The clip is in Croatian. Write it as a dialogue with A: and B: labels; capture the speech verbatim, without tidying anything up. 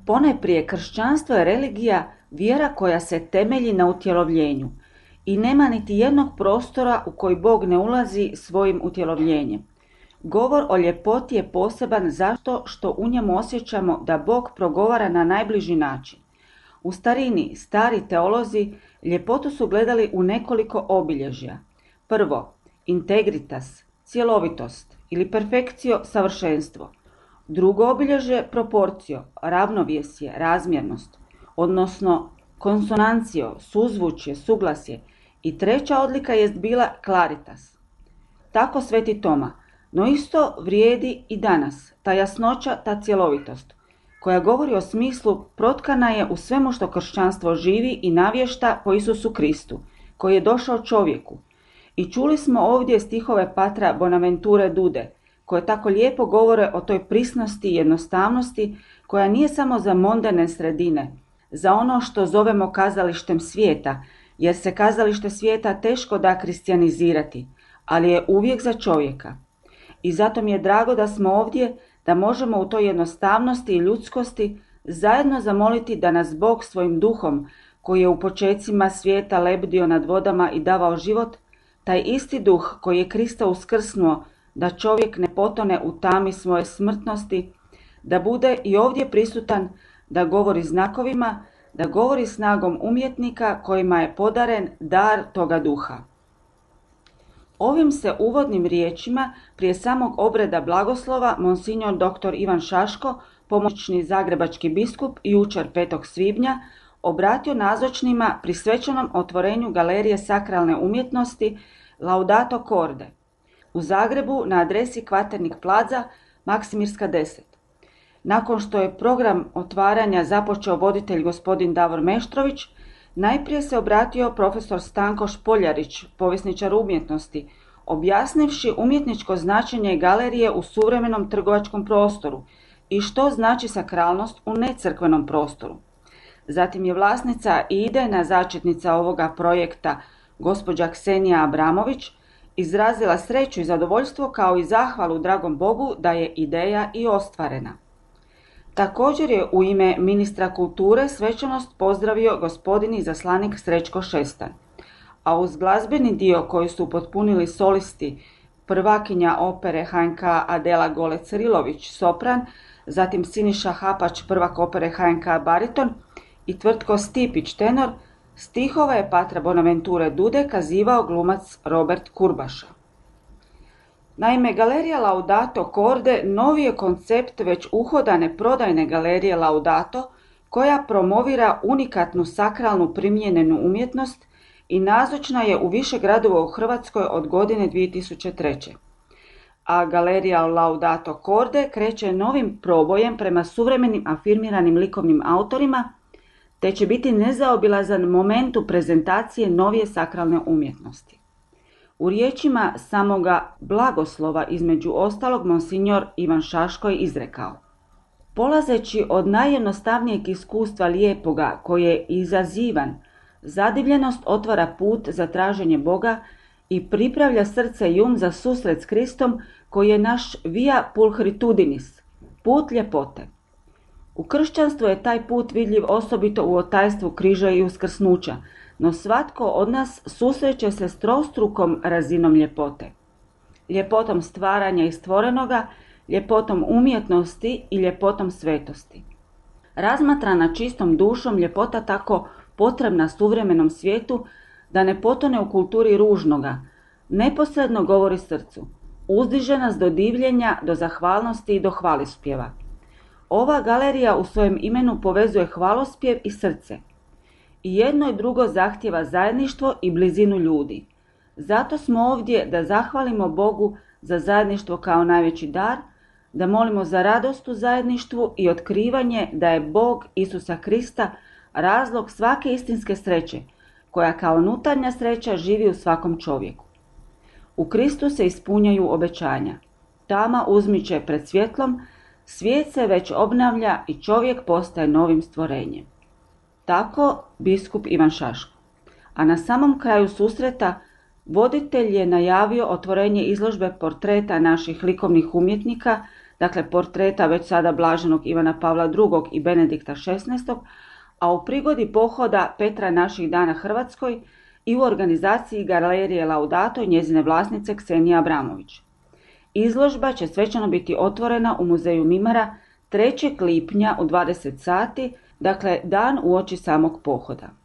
A: Ponajprije kršćanstvo je religija, vjera koja se temelji na utjelovljenju i nema niti jednog prostora u koji Bog ne ulazi svojim utjelovljenjem. Govor o ljepoti je poseban zato što u njemu osjećamo da Bog progovara na najbliži način. U starini, stari teolozi ljepotu su gledali u nekoliko obilježja. Prvo, integritas, cjelovitost ili perfekcio, savršenstvo. Drugo obilježje, proporcio, ravnovjesje, razmjernost, odnosno konsonancio, suzvučje, suglasje. I treća odlika jest bila claritas. Tako Sveti Toma, no isto vrijedi i danas, ta jasnoća, ta cjelovitost, koja govori o smislu protkana je u svemu što kršćanstvo živi i navješta po Isusu Kristu, koji je došao čovjeku. I čuli smo ovdje stihove patra Bonaventure Dude, koje tako lijepo govore o toj prisnosti i jednostavnosti, koja nije samo za mondane sredine, za ono što zovemo kazalištem svijeta, jer se kazalište svijeta teško da kristjanizirati, ali je uvijek za čovjeka. I zato mi je drago da smo ovdje, da možemo u toj jednostavnosti i ljudskosti zajedno zamoliti da nas Bog svojim duhom, koji je u počecima svijeta lebdio nad vodama i davao život, taj isti duh koji je Krista uskrsnuo, da čovjek ne potone u tami svoje smrtnosti, da bude i ovdje prisutan, da govori znakovima, da govori snagom umjetnika kojima je podaren dar toga duha. Ovim se uvodnim riječima prije samog obreda blagoslova monsignor doktor Ivan Šaško, pomoćni zagrebački biskup, jučer petog svibnja, obratio nazočnima pri svečanom otvorenju Galerije sakralne umjetnosti Laudato Corde u Zagrebu na adresi Kvaternik Plaza, Maksimirska deset. Nakon što je program otvaranja započeo voditelj gospodin Davor Meštrović, najprije se obratio profesor Stanko Špoljarić, povjesničar umjetnosti, objasnivši umjetničko značenje galerije u suvremenom trgovačkom prostoru i što znači sakralnost u necrkvenom prostoru. Zatim je vlasnica i idejna začetnica ovoga projekta, gospođa Ksenija Abramović, izrazila sreću i zadovoljstvo kao i zahvalu dragom Bogu da je ideja i ostvarena. Također je u ime ministra kulture svečanost pozdravio gospodin izaslanik Srećko Šestan, a uz glazbeni dio koji su potpunili solisti, prvakinja opere H N K Adela Golec-Rilović, sopran, zatim Siniša Hapač, prvak opere H N K bariton i Tvrtko Stipić, tenor, stihove je patra Bonaventure Dude kazivao glumac Robert Kurbaša. Naime, galerija Laudato Corde novi je koncept već uhodane prodajne galerije Laudato, koja promovira unikatnu sakralnu primijenjenu umjetnost i nazočna je u više gradova u Hrvatskoj od godine dvije tisuće treće. A galerija Laudato Corde kreće novim probojem prema suvremenim afirmiranim likovnim autorima, te će biti nezaobilazan moment u prezentacije novije sakralne umjetnosti. U riječima samoga blagoslova između ostalog monsignor Ivan Šaško je izrekao: polazeći od najjednostavnijeg iskustva lijepoga koje je izazivan, zadivljenost otvara put za traženje Boga i pripravlja srce i um za susret s Kristom koji je naš via pulchritudinis, put ljepote. U kršćanstvu je taj put vidljiv osobito u otajstvu križa i uskrsnuća, no svatko od nas susreće se s trostrukom razinom ljepote. Ljepotom stvaranja i stvorenoga, ljepotom umjetnosti i ljepotom svetosti. Razmatrana čistom dušom, ljepota tako potrebna suvremenom svijetu da ne potone u kulturi ružnoga, neposredno govori srcu, uzdiže nas do divljenja, do zahvalnosti i do hvalospjeva. Ova galerija u svojem imenu povezuje hvalospjev i srce. I jedno i drugo zahtjeva zajedništvo i blizinu ljudi. Zato smo ovdje da zahvalimo Bogu za zajedništvo kao najveći dar, da molimo za radost u zajedništvu i otkrivanje da je Bog Isusa Krista razlog svake istinske sreće, koja kao unutarnja sreća živi u svakom čovjeku. U Kristu se ispunjaju obećanja. Tama uzmiče pred svjetlom, svijet se već obnavlja i čovjek postaje novim stvorenjem. Tako biskup Ivan Šaško. A na samom kraju susreta voditelj je najavio otvorenje izložbe portreta naših likovnih umjetnika dakle portreta već sada blaženog Ivana Pavla drugog i Benedikta šesnaestog, a u prigodi pohoda Petra naših dana Hrvatskoj i u organizaciji Galerije Laudato i njezine vlasnice Ksenije Abramović. Izložba će svečano biti otvorena u muzeju Mimara trećeg lipnja u dvadeset sati, dakle dan uoči samog pohoda.